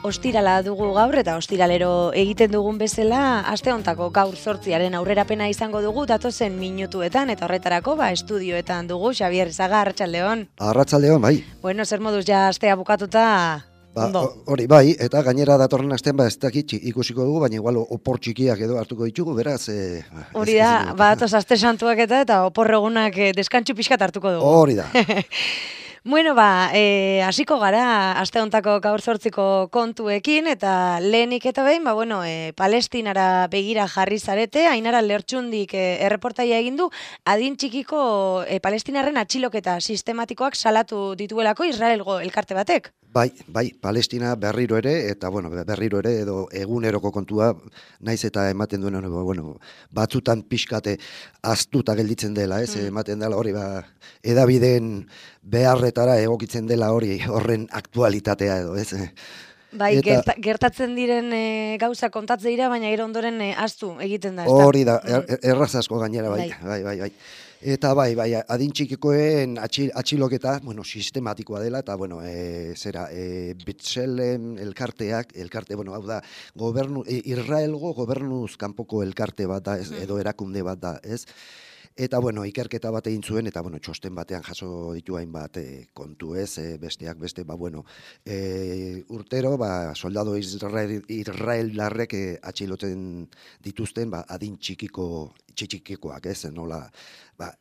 Ostirala dugu gaur eta ostiralero egiten dugun bezala, aste hontako gaur 8 aurrerapena izango dugu datozen minutuetan eta horretarako estudioetan dugu Xabier Zaga, arratsaldeon. Arratsaldeon, bai. Bueno, zer moduz ja astea bukatuta? Hori bai, eta gainera datorren astean ez dakit ikusiko dugu, baina igual opor txikiak edo hartuko ditugu, beraz. Hori da, batoz aste santuak eta opor egunak deskantxu pixkat hartuko dugu. Hori da. Bueno, hasiko gara aste hontako gaur 8ko kontuekin eta lehenik eta behin, Palestinara begira jarri zarete, Ainara Lertxundik erreportaia egin du, adin txikiko palestinarren atxiloketa sistematikoak salatu dituelako Israelgo elkarte batek. Bai, Palestina berriro ere, eta berriro ere, edo eguneroko kontua, naiz eta ematen duen, batzutan pixkate aztuta gelditzen dela, ez? Ematen dela hori, edabideen beharretara egokitzen dela hori, horren aktualitatea edo, ez? Bai, gertatzen diren gauza kontatze dira, baina gero ondoren ahaztu egiten da, ez da? Hori da, erraz asko gainera, bai. Eta bai, adin txikikoen atxiloketa, sistematikoa dela, eta, B'Tselem elkarte, hau da, Israelgo gobernuz kanpoko elkarte bat da, edo erakunde bat da, ez? Eta, ikerketa bat egin zuen, eta, txosten batean jaso ditu hainbat kontu, ez? Besteak beste, urtero, soldado israeldarrek atxiloten dituzten, adin txikikoak, ez? Nola,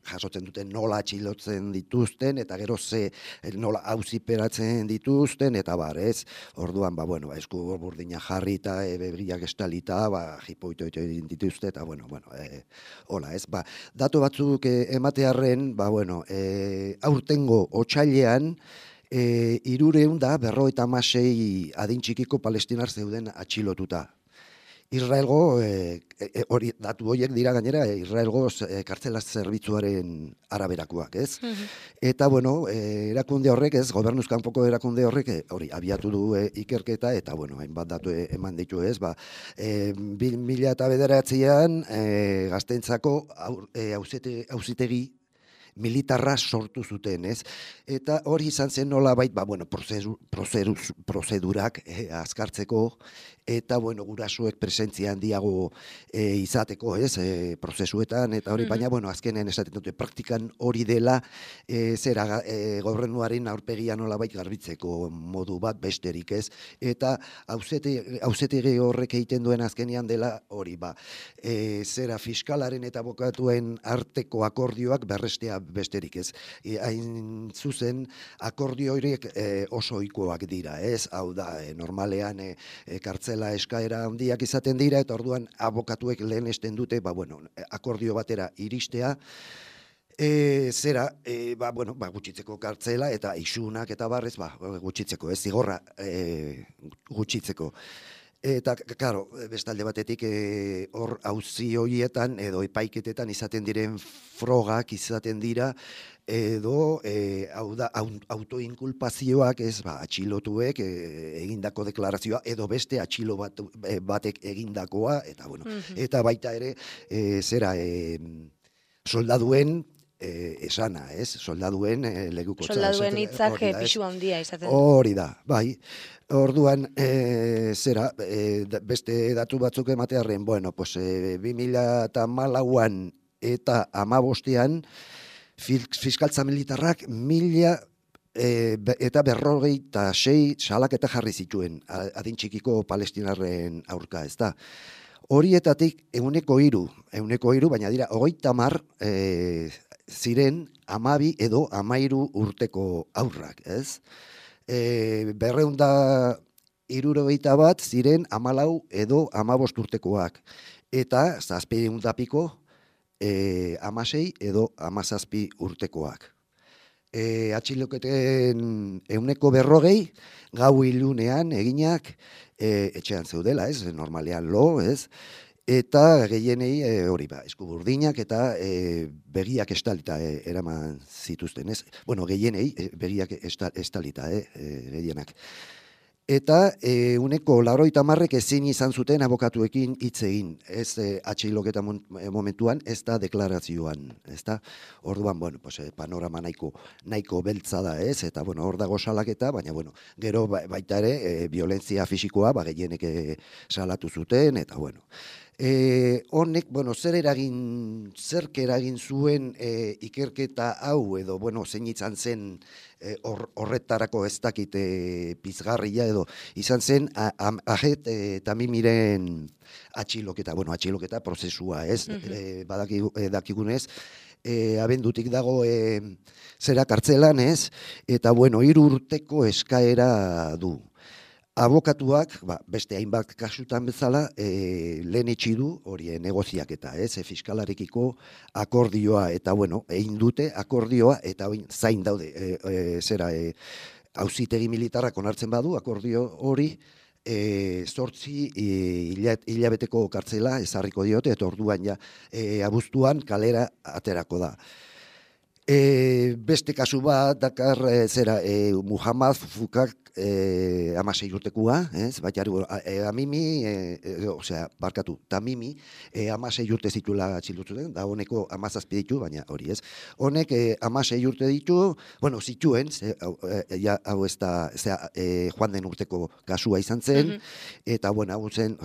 jasotzen duten nola atxilotzen dituzten, eta gero nola auziperatzen dituzten, eta ez? Orduan, esku burdina jarri eta begiak estalita, jipoito dituzte, eta, hola, ez? Datu batzuk ematearren, aurtengo otsailean, 356 adin txikiko palestinar zeuden atxilotuta. Israelgo, datu horiek dira gainera, Israelgo kartzela zerbitzuaren araberakoak, ez? Eta, erakunde horrek, ez, gobernuz kanpoko erakunde horrek, hori, abiatu du ikerketa, eta, hainbat datu eman ditu, ez, 2009an Gazteentzako auzitegi militarra sortu zuten, ez? Eta hori izan zen nolabait, prozedurak azkartzeko, eta, gurasuek presentzia handiago izateko, ez? Prozesuetan, eta hori, baina, azkenen esaten dute, praktikan hori dela, gobernuaren aurpegia nolabait garbitzeko modu bat besterik, ez? Eta auzitegi horrek egiten duen azkenean dela hori, fiskalaren eta abokatuen arteko akordioak berrestea besterik, ez? Hain zuzen, akordio horiek oso ohikoak dira, ez? Hau da, normalean kartzela eskaera handiak izaten dira, eta orduan abokatuek lehenesten dute, akordio batera iristea, gutxitzeko kartzela, eta isunak eta barrez, gutxitzeko, ez? Zigorra gutxitzeko. Eta, karo, bestalde batetik hor auzi horietan edo epaiketetan izaten diren frogak izaten dira edo autoinkulpazioak, ez, atxilotuek egindako deklarazioa edo beste atxilo batek egindakoa, eta, eta baita ere, soldaduen esana, ez? Soldaduen legukotza. Soldaduen hitzak pixu handia izaten. Hori da, bai. Orduan, beste datu batzuk ematearren, 2014an eta 2015an fiskaltza militarrak 1056 salaketa jarri zituen adin txikiko palestinarren aurka, ez da? Horietatik 103, baina dira 30 ziren 12 edo 13 urteko aurrak, ez? 271 ziren 14 edo 15 urtekoak, eta 700 piko 16 edo 17 urtekoak. Atxiloketen 140 gau ilunean eginak etxean zeudela, ez? Normalean ez? Eta gehienei hori eskuburdinak eta begiak estalita eraman zituzten, ez? Gehienei begiak estalita, gehienak. Eta uneko 90 ezin izan zuten abokatuekin hitz egin, ez atxiloketa momentuan, ez da deklarazioan, ez da? Orduan, bueno, pues, panorama nahiko beltza da, ez? Eta, bueno, hor dago salaketa, baina, bueno, gero baita ere, violentzia fisikoa, gehienek salatu zuten, eta, bueno. Honek, bueno, zerk eragin zuen ikerketa hau, edo, bueno, zein izan zen horretarako ez dakit pizgarria edo izan zen Ajet Tamimiren atxiloketa, bueno, atxiloketa prozesua, ez? Dakigunez, abendutik dago zera kartzelan, ez? Eta, bueno, 3 urteko eskaera du. Abokatuak, beste hainbat kasutan bezala, lehenetsi du hori negoziaketa, fiskalarekiko akordioa, eta bueno, egin dute akordioa, eta zain daude, auzitegi militarrak onartzen badu akordio hori, 8 hilabeteko kartzela ezarriko diote, eta orduan ja abuztuan kalera aterako da. Beste kasu bat dakar Muhammad Fukak 16 urtekoa, ez? Baina Tamimi 16 urte zituela atxilotzen, da honeko 17 ditu, baina hori, ez? Honek 16 urte ditu, bueno, zituen, hau ez da joan den urteko kasua izan zen, eta, bueno, hau zen,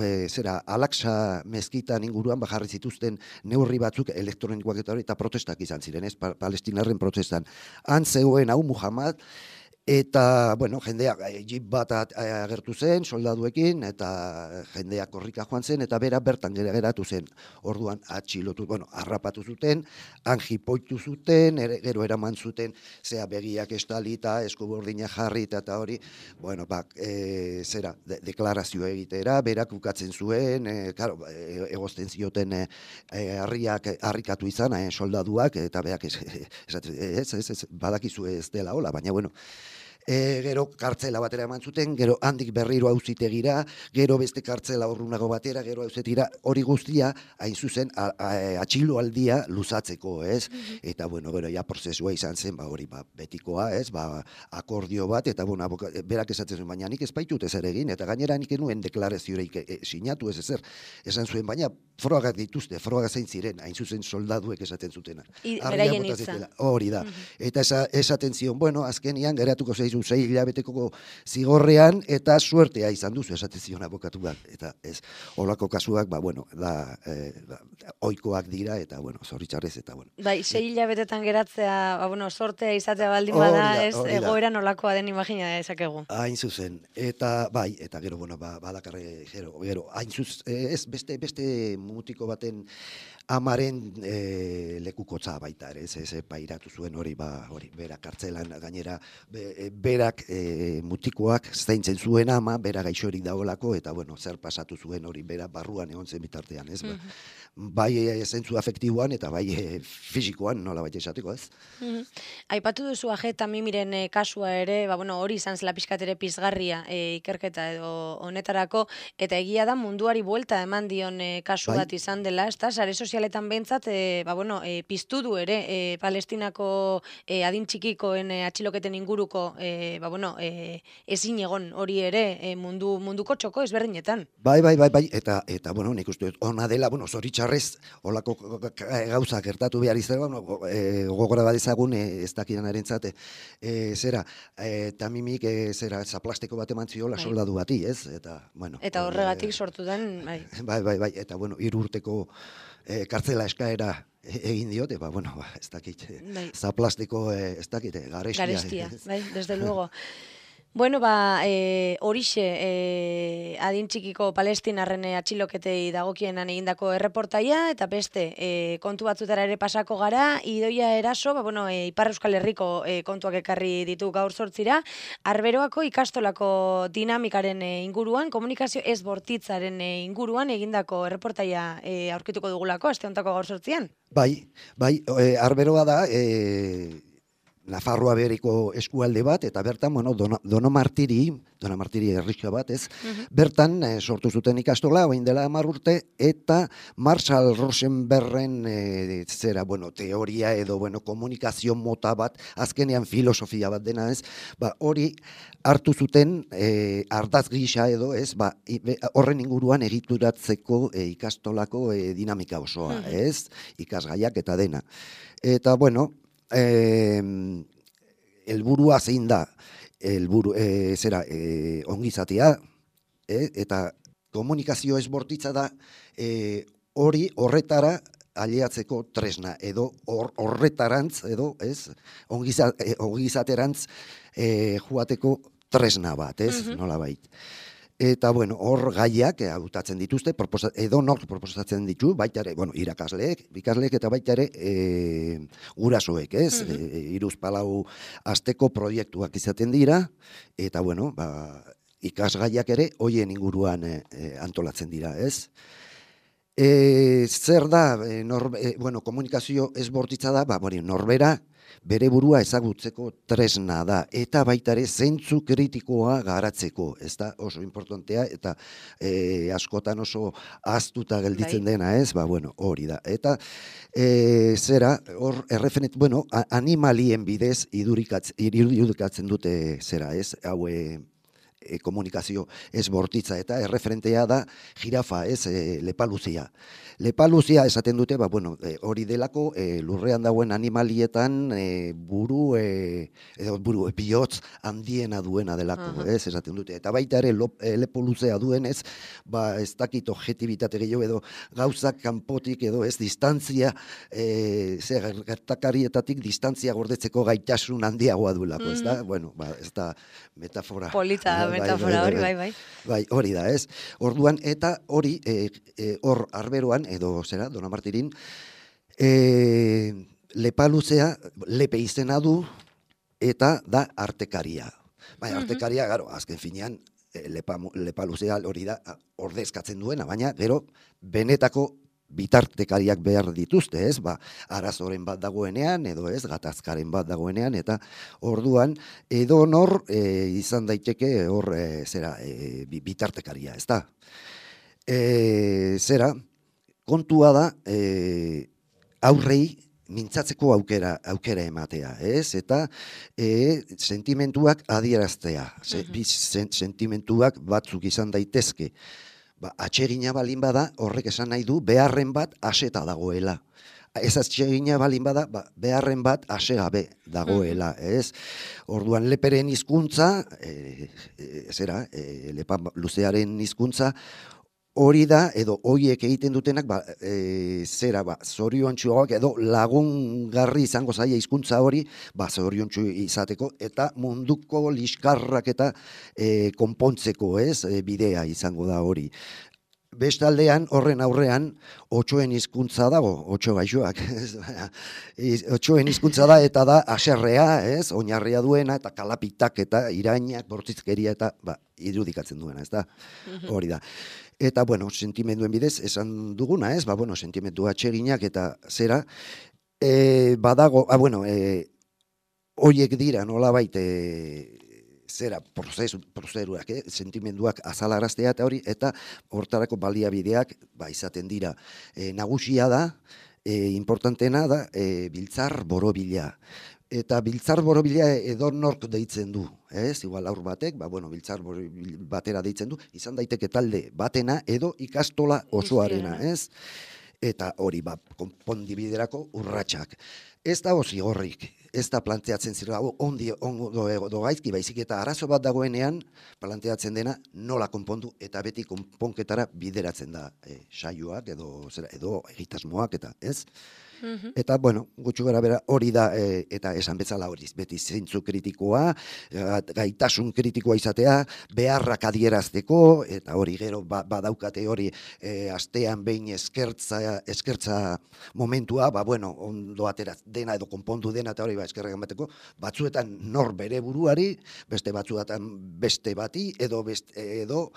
Al-Aqsa mezkitan inguruan bajarri zituzten neurri batzuk elektronikoak eta protestak izan ziren, ez? Palestinarren protestan. Han zegoen hau Muhammad, eta, bueno, jendeak jeep bat agertu zen, soldaduekin, eta jendeak korrika joan zen, eta bera bertan geratu zen. Orduan atxilotu, bueno, harrapatu zuten, han jipoitu zuten, gero eraman zuten, begiak estalita, eskubordina jarri, eta hori, bueno, deklarazio egitera, berak ukatzen zuen, egozten zioten harrikatu izan, soldaduak, eta berak badakizu ez dela hola, baina, bueno, gero kartzela batera eman zuten, gero handik berriro auzitegira, gero beste kartzela urrunago batera, gero auzetira, hori guztia, hain zuzen, atxiloaldia luzatzeko, ez? Eta, bueno, gero, ja prozesua izan zen, hori, betikoa, ez? Akordio bat, eta, bueno, berak esatzen zuen, baina nik ez baitut ezer egin, eta gainera nik enuen deklaraziorik sinatu ez ezer, esan zuen, baina frogak dituzte, frogak zein ziren, hain zuzen soldaduek esaten zutena. Beraien hitza. Hori da. Eta esaten zion, bueno, azkenian geratuko zeizu 6 hilabeteko zigorrean, eta suertea izan duzu, esaten zion abokatu bat. Eta ez, holako kasuak, bueno, oikoak dira, eta, bueno, zoritxarrez, eta, bueno. 6 hilabetetan geratzea, bueno, sortea izatea baldin bada, ez, egoera nolakoa den imagina dezakegu. Hain zuzen, eta, eta gero, bueno, badakarre, gero, hain zuzen, ez, beste mutiko baten amaren lekukotza baita ere, ez pairatu zuen hori, berak kartzelan, gainera, berak mutikoak zaintzen zuen ama, bera gaixorik daolako, eta, bueno, zer pasatu zuen hori, bera barruan egon zen bitartean, ez? Bai zentzu afektiboan, eta bai fisikoan, nola baita esateko, ez? Aipatu duzu Ajet Tamimiren kasua ere, hori izan zela pixkat ere pizgarria ikerketa edo honetarako, eta egia da munduari buelta eman dion kasu bat izan dela, ez da, sare sozialetan behintzat, piztu du ere, Palestinako adin txikikoen atxiloketen inguruko, ezin egon hori ere munduko txoko ezberdinetan. Bai, eta, bueno, nik uste ona dela, zoritxarrez, holako gauza gertatu behar izan, gogora badezagun, ez dakidan arentzate, Tamimik, zaplasteko bat eman ziola soldadu bati, ez? Eta horregatik sortu den, bai. Bai, eta, 3 urteko kartzela eskaera egin diote, ez dakit, zaplasteko, ez dakit, garestia. Garestia, bai, desde luego. Bueno, horixe, adin txikiko palestinarren atxiloketei dagokienan egindako erreportaia, eta beste kontu batzutara ere pasako gara, Idoia Eraso, Ipar Euskal Herriko kontuak ekarri ditu gaur sortzira, Arberoako ikastolako dinamikaren inguruan, komunikazio ez bortitzaren inguruan egindako erreportaia aurkituko dugulako, aste hontako gaur sortzian. Bai, Arberoa da, Nafarroa beriko eskualde bat, eta bertan, bueno, Donomartiri herrixka bat, ez? Bertan sortu zuten ikastola, orain dela 10 urte, eta Marshall Rosenbergen teoria edo, komunikazio mota bat, azkenean filosofia bat dena, ez? Hori hartu zuten ardaz gisa edo, ez? Horren inguruan egituratzeko ikastolako dinamika osoa, ez? Ikasgaiak eta dena. Eta, bueno, helburua zein da, ongizatea, eta komunikazio ez bortitza da, horretara aliatzeko tresna, edo horretarantz, edo, ez, ongizaterantz joateko tresna bat, ez, nolabait. Eta, bueno, hor gaiak hautatzen dituzte, edo nork proposatzen ditu, baita ere, ikasleek eta baita ere gurasoek, ez? 3-4 asteko proiektuak izaten dira, eta, bueno, ikasgaiak ere hoien inguruan antolatzen dira, ez? Zer da, komunikazio ez bortitza da, norbera bere burua ezagutzeko tresna da, eta baita ere zentzu kritikoa garatzeko, ez da oso importantea, eta askotan oso ahaztuta gelditzen dena, ez? Hori da. Eta hor animalien bidez irudikatzen dute ez? Hau komunikazio ez bortitza, eta erreferentea da jirafa, ez, lepaluzia. Lepaluzia esaten dute, hori delako lurrean dagoen animalietan bihotz handiena duena delako, ez, esaten dute. Eta baita ere lepoluzea duen, ez, ez dakit objetibitate gehiago edo gauzak kanpotik edo ez distantzia, gertakarietatik distantzia gordetzeko gaitasun handiagoa duelako, ez da? Ez da metafora. Polita metafora hori, bai. Bai, hori da, ez? Orduan, eta hori, hor arberoan, edo Donomartirin, lepaluzea, lepe izena du, eta da artekaria. Bai, artekaria, azken finean, lepaluzea hori da ordezkatzen duena, baina, gero, benetako bitartekariak behar dituzte, ez? Arazoren bat dagoenean, edo ez, gatazkaren bat dagoenean, eta orduan, edo nor izan daiteke hor bitartekaria, ez da? Kontua da, aurrei mintzatzeko aukera ematea, ez? Eta sentimentuak adieraztea, sentimentuak batzuk izan daitezke, atsegina balin bada, horrek esan nahi du, beharren bat aseta dagoela. Ez atsegina balin bada, beharren bat asegabe dagoela, ez? Orduan leperen hizkuntza, lepa luzearen hizkuntza, hori da, edo hoiek egiten dutenak, zoriontsuagoak edo lagungarri izango zaia hizkuntza hori, zoriontsu izateko, eta munduko liskarrak eta konpontzeko, ez, bidea izango da hori. Bestaldean, horren aurrean, otsoen hizkuntza dago, otso gaixoak. Otsoen hizkuntza da, eta da haserrea, ez, oinarria duena, eta kalapitak, eta irainak, bortizkeria, eta irudikatzen duena, ez da, hori da. Eta, sentimenduen bidez, esan duguna, ez, sentimendu atseginak, eta zera, badago, horiek dira, nolabait, prozedurak, sentimenduak azalaraztea eta hori, eta hortarako baliabideak izaten dira. Nagusia da, importantena da, biltzar borobila. Eta biltzar borobila edonork deitzen du, ez? Igual aur batek, biltzar batera deitzen du, izan daiteke talde batena edo ikastola osoarena, ez? Eta hori, konpondibiderako urratsak. Ez da zigorrik, ez da planteatzen zira, ondo gaizki, baizik eta arazo bat dagoenean, planteatzen dena nola konpondu, eta beti konponketara bideratzen da saioak edo egitasmoak, eta ez? Eta, gutxu gara bera hori da, eta esan bezala hori, beti zeintzu kritikoa, gaitasun kritikoa izatea, beharrak adierazteko, eta hori gero badaukate hori astean behin eskertza momentua, ondo atera dena edo konpondu dena, eta hori eskerrak emateko, batzuetan nor bere buruari, beste batzuetan beste bati, edo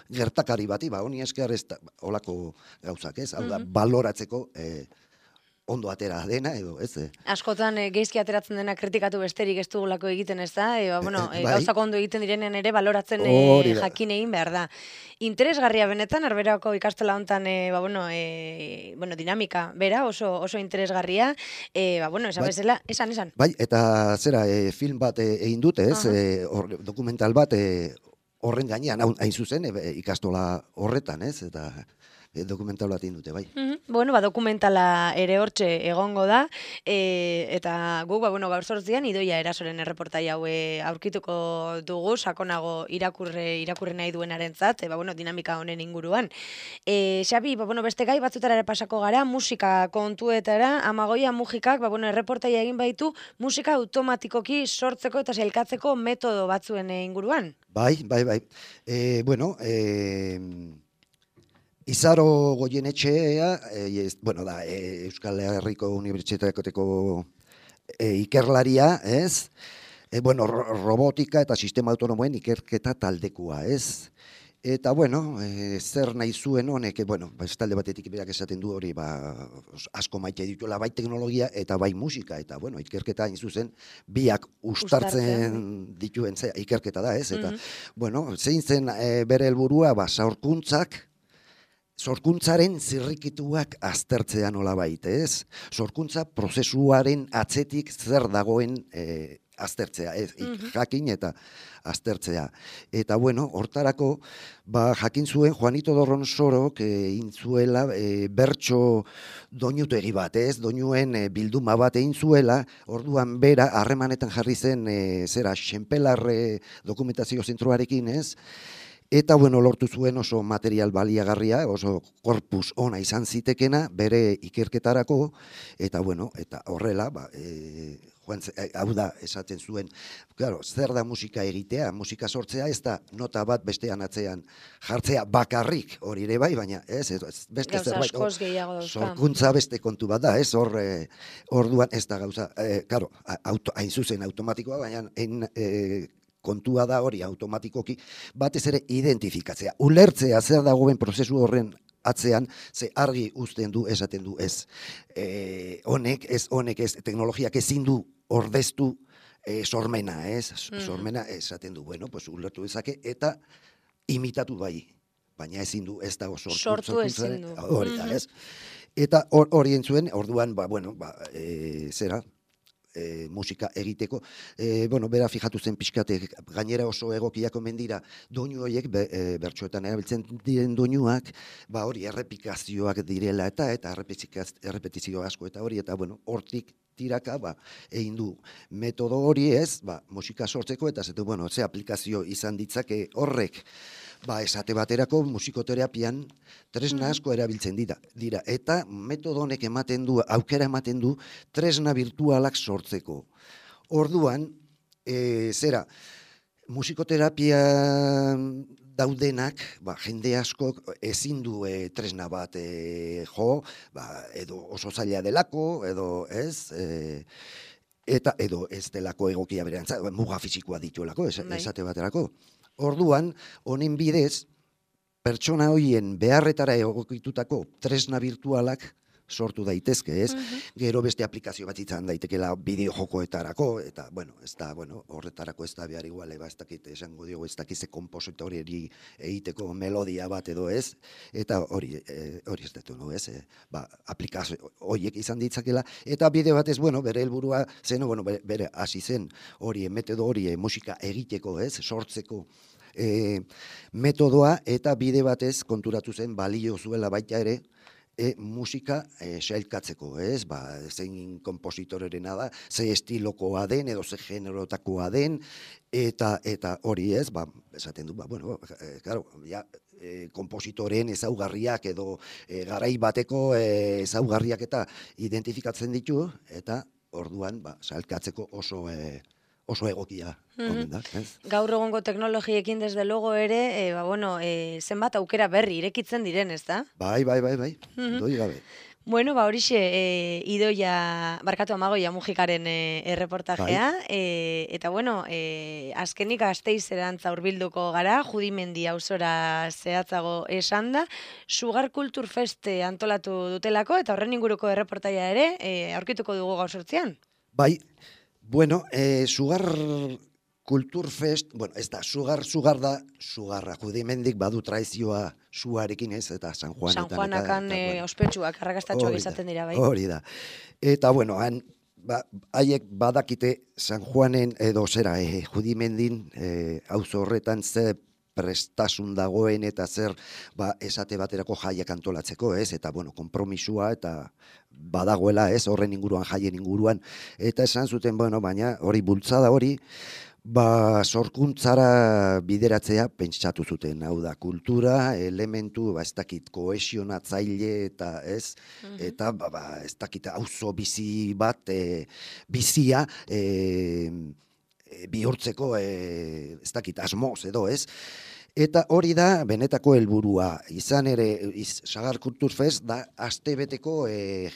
gertakari bati, honi esker ez da, holako gauzak ez, hau da, baloratzeko ondo atera dena, edo, ez? Askotan geizki ateratzen dena kritikatu besterik ez dugulako egiten, ez da? Bai, Gauzak ondo egiten direnen ere baloratzen hori da. jakin egin behar da. Interesgarria benetan, Arberoako ikastola hontan, dinamika bera, oso interesgarria. Esan Bai. bezala, esan. Bai, eta zera, film bat egin dute, ez? Dokumental bat horren gainean, hain zuzen, ikastola horretan, ez? Eta dokumental bat egin dute, bai. Dokumentala ere hortxe egongo da, eta guk, gaur sortzian, Idoia Erasoren erreportai hau aurkituko dugu, sakonago irakurri nahi duenarentzat, dinamika honen inguruan. Xabi, beste gai batzutara ere pasako gara, musika kontuetara, Amagoia Mujikak, erreportaia egin baitu, musika automatikoki sortzeko eta sailkatzeko metodo batzuen inguruan. Bai. Izaro Goienetxea, Euskal Herriko Unibertsitateko ikerlaria, ez? Robotika eta sistema autonomoen ikerketa taldekoa, ez? Eta, zer nahi zuen honek, talde batetik berak esaten du hori, asko maite dituela, bai teknologia eta bai musika, eta, ikerketa hain zuzen, biak ustartzen dituen ikerketa da, ez? Eta, zein zen bere helburua, sorkuntzaren zirrikituak aztertzea nolabait, ez? Sorkuntza prozesuaren atzetik zer dagoen aztertzea, ez? Jakin eta aztertzea. Eta, hortarako, jakin zuen Juanito Dorronsorok intzuela bertso doinutegi bat, ez? Doinuen bilduma bat egin zuela, orduan bera harremanetan jarri zen Xenpelar dokumentazio zentroarekin, ez? Eta, lortu zuen oso material baliagarria, oso korpus ona izan zitekena, bere ikerketarako, eta, eta horrela, hau da, esaten zuen, zer da musika egitea, musika sortzea, ez da nota bat bestean atzean jartzea bakarrik, hori ere bai, baina ez, beste zerbait, sorkuntza beste kontu bat da, ez, orduan ez da gauza, hain zuzen automatikoa, baina kontua da hori automatikoki, batez ere identifikatzea, ulertzea zer dagoen prozesu horren atzean, ze argi uzten du, esaten du ez. Honek ez, teknologiak ezin du ordeztu sormena, ez? Sormena esaten du, ulertu dezake, eta imitatu bai, baina ezin du, ez dago sortu ezin du. Hori da, ez? Eta hori entzuen, orduan, musika egiteko, bera fijatu zen pixkate, gainera oso egokiak omen dira, doinu horiek, bertsoetan erabiltzen diren doinuak, hori errepikazioak direla eta errepetizio asko eta hori, eta hortik tiraka, egin du metodo hori ez, musika sortzeko, eta ze aplikazio izan ditzake horrek, esate baterako musikoterapian tresna asko erabiltzen dira. Eta metodo honek aukera ematen du tresna virtualak sortzeko. Orduan, musikoterapia daudenak, jende asko ezin du tresna bat edo oso zaila delako, edo ez, eta edo ez delako egokia berantza, muga fisikoa dituelako, esate baterako. Orduan, honen bidez, pertsona horien beharretara egokitutako tresna virtualak sortu daitezke, ez? Gero beste aplikazio bat izan daitekela bideo jokoetarako, eta, horretarako ez da behar igual, ez dakit, esango diogu, ez dakize kompositori egiteko melodia bat edo ez, eta hori ez dut, ez? Aplikazio horiek izan ditzakela, eta bideo batez, bere helburua zen, bere hasi zen hori, metodo hori, musika egiteko, ez? Sortzeko metodoa, eta bide batez konturatu zen balio zuela baita ere, musika sailkatzeko, ez? Zein kompositorerena da, ze estilokoa den, edo ze generotakoa den, eta hori ez, esaten du, kompositoren ezaugarriak edo garai bateko ezaugarriak eta identifikatzen ditu, eta orduan sailkatzeko oso egokia. Gaur egongo teknologiekin desde logo ere, zenbat aukera berri irekitzen diren, ez da? Bai, doi gabe. Bueno, horixe, Idoia, barkatu Amagoia Mujikaren erreportajea, eta bueno, azkenik Gasteizerantz hurbilduko gara, Judimendi auzora zehatzago esan da, Sugar Culture Fest antolatu dutelako, eta horren inguruko erreportaia ere, aurkituko dugu gaur sortzean. Bai, bueno, Sugar Kulturfest, bueno, ez da, sugar da, sugarra, Judimendik badu traizioa suarekin ez, eta San Juanetan. San Juanakan ospetsuak, arrakastatxoak izaten dira, bai. Hori da. Eta, bueno, haiek badakite San Juanen, edo zera, Judimendin, auzo horretan ze prestasun dagoen eta zer esate baterako jaiak antolatzeko, ez? Eta, bueno, konpromisua eta badagoela, ez? Horren inguruan, jaien inguruan. Eta esan zuten, bueno, baina hori bultzada hori, sorkuntzara bideratzea pentsatu zuten, hau da, kultura, elementu, ez dakit, kohesionatzaile eta ez, eta ez dakit, auzo bizi bat, bizia, bihurtzeko, ez dakit, asmoz edo, ez? Eta hori da benetako helburua. Izan ere, Sagar Kulturfest da astebeteko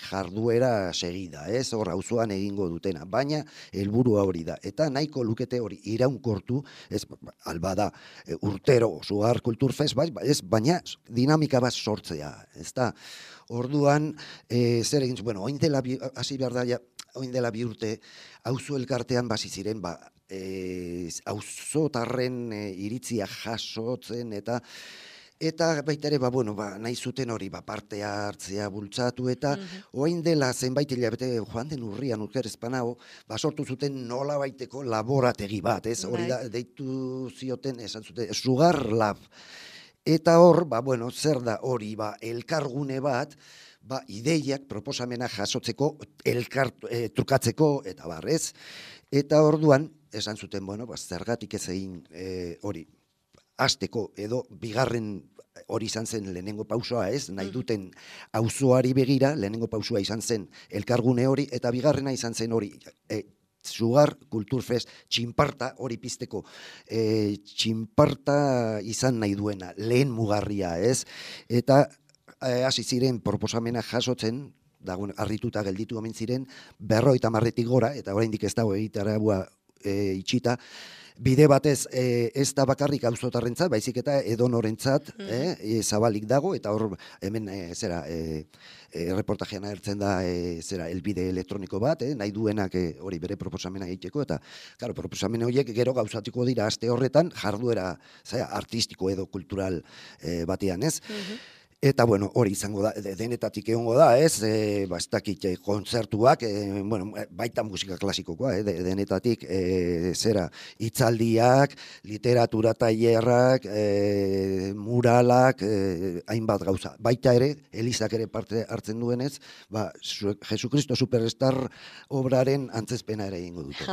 jarduera segida, ez? Hor auzoan egingo dutena, baina helburua hori da. Eta nahiko lukete hori iraunkortu, ez albada urtero Sagar Kulturfest, ez, baina dinamika bat sortzea, ez da? Orduan, zer egin, bueno, oin dela, hasi behar da, oin dela bi urte, auzo elkartean basi ziren, auzotarren iritzia jasotzen eta baita ere, bueno, nahi zuten hori, parte hartzea bultzatu eta orain dela zenbait hilabete joan den urrian urkerezpanao, sortu zuten nola baiteko laborategi bat, ez? Hori da, deitu zioten, esan zuten, Sugar Lab. Eta hor, bueno, zer da hori, elkargune bat, ideiak, proposamena jasotzeko, trukatzeko, eta barrez. Eta orduan, esan zuten, bueno, zergatik ez egin hori, hasteko edo bigarren hori izan zen lehenengo pausoa, ez? Nahi duten auzoari begira, lehenengo pausoa izan zen elkargune hori, eta bigarrena izan zen hori, Sugar Kulturfest txinparta hori pizteko, txinparta izan nahi duena, lehen mugarria, ez? Eta hasi ziren proposamena jasotzen, harrituta gelditu omen ziren, 50 gora, eta oraindik ez dago egitaragua itxita, bide batez ez da bakarrik auzotarrentzat, baizik eta edonorentzat zabalik dago, eta hor hemen reportajean agertzen da elbide elektroniko bat, nahi duenak hori bere proposamena egiteko, eta proposamena horiek gero gauzatuko dira aste horretan jarduera artistiko edo kultural batean, ez? Eta, bueno, hori izango da, denetatik egongo da, ez? Ez dakit kontzertuak, baita musika klasikokoa, denetatik, hitzaldiak, literatura tailerrak, muralak, hainbat gauza. Baita ere, Elizak ere parte hartzen duenez, Jesucristo Superstar obraren antzezpena ere egingo dute.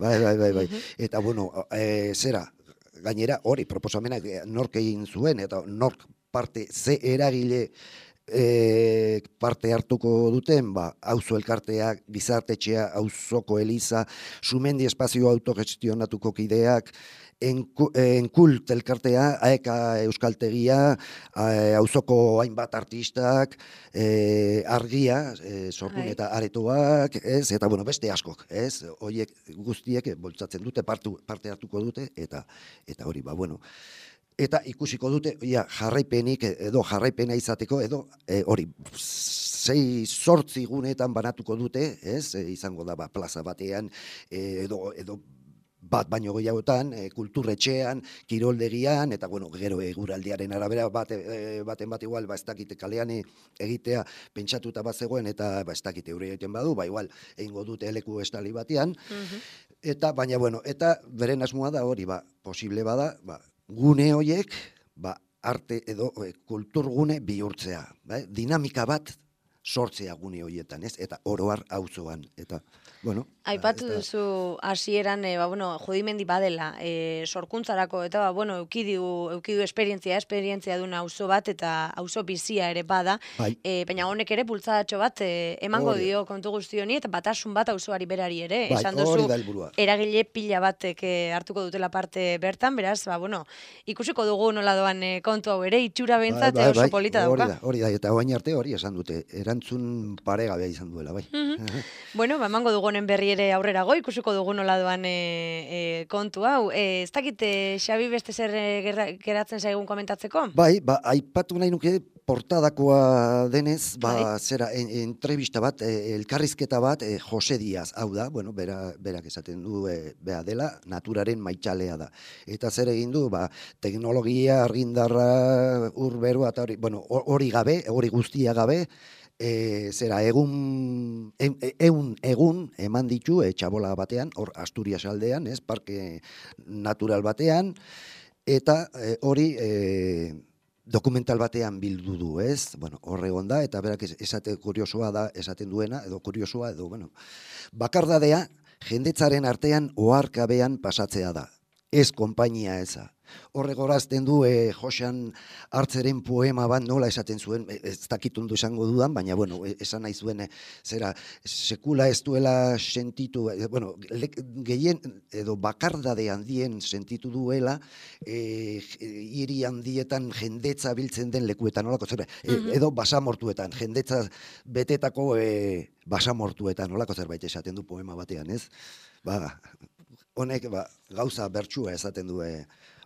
Bai. Eta, bueno, gainera, hori, proposamenak nork egin zuen, eta nork ze eragile parte hartuko duten, auzo elkarteak, gizartetxea, auzoko Eliza, Sumendi espazio autogestionatuko kideak, Enkult elkartea, Aeka euskaltegia, auzoko hainbat artistak, argia, sorgun eta aretoak, eta beste askok, horiek guztiek bultzatzen dute, parte hartuko dute, eta hori, eta ikusiko dute jarraipenik edo jarraipena izateko edo hori 6-8 guneetan banatuko dute, izango da plaza batean edo bat baino gehiagotan, kulturretxean, kiroldegian, eta gero eguraldiaren arabera baten bat igual, ez dakite kalean egitea pentsatuta bat zegoen, eta ez dakite eure egiten badu, igual egingo dute eleku estali batean, eta baina eta beren asmoa da hori, posible bada, gune horiek, arte edo kulturgune bihurtzea. Dinamika bat sortzea gune horietan, eta oroar auzoan. Eta, aipatu duzu hasieran, Judimendi badela, sorkuntzarako, eta, eukidu esperientzia duen auzo bat, eta auzo bizia ere bada, baina honek ere bultzadatxo bat emango dio kontu guzti honi, eta batasun bat auzoari berari ere, esan duzu, eragile pila batek hartuko dutela parte bertan, beraz, ikusiko dugu nola doan kontu hau ere, itxura behintzat oso polita dauka. Hori da, eta oain arte hori esan dute, erantzun paregabea izan duela, bai. Bueno, emango dugu honen berri ere aurrerago, ikusiko dugu nola doan kontu hau. Ez dakit, Xabi, beste zer geratzen zaigun komentatzeko? Bai, aipatu nahi nuke portadakoa denez, zera, entrevista bat, elkarrizketa bat, Jose Diaz, hau da, bueno, berak esaten du, bea dela, naturaren maitxalea da. Eta zer egin du, teknologia, argindarra, urberua, eta hori, bueno, hori gabe, hori guztia gabe, zera, egun eman ditu, txabola batean, hor Asturias aldean, parke natural batean, eta hori dokumental batean bildu du, bueno, hor egon da, eta berak kuriosoa da, esaten duena, edo kuriosoa, edo, bueno, bakardadea, jendetzaren artean oharkabean pasatzea da, ez konpainia eza. Horregorazten du Josean Hartzeren poema bat nola esaten zuen, ez dakitundo esango dudan, baina, bueno, esan nahi zuen, zera, sekula ez duela sentitu, bueno, gehien, edo bakardade handien sentitu duela, hiri handietan jendetza biltzen den lekuetan, nolako, zera, edo basamortuetan, jendetza betetako basamortuetan, nolako zerbait esaten du poema batean, ez? Honek, gauza bertsua esaten du,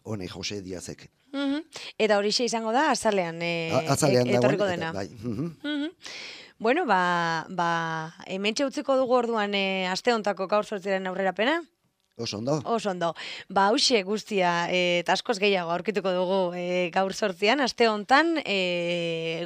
honek Jose Diazek. Eta horixe izango da, azalean etorriko dena. Bai. Bueno, hementxe utziko dugu orduan aste hontako gaur 8 aurrerapena. Oso ondo. Oso ondo. Hauxe guztia eta askoz gehiago aurkituko dugu gaur 8 aste hontan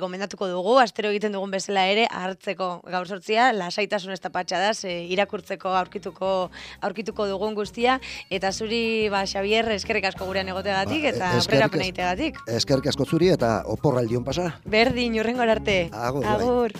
gomendatuko dugu, astero egiten dugun bezala ere, hartzeko gaur 8 lasaitasun ez tapatxadaz, irakurtzeko aurkituko dugun guztia, eta zuri, Xabier, eskerrik asko gurean egoteagatik eta aurrerapena egiteagatik. Eskerrik asko zuri eta oporraldion pasa. Berdin, hurrengora arte. Agur. Agur.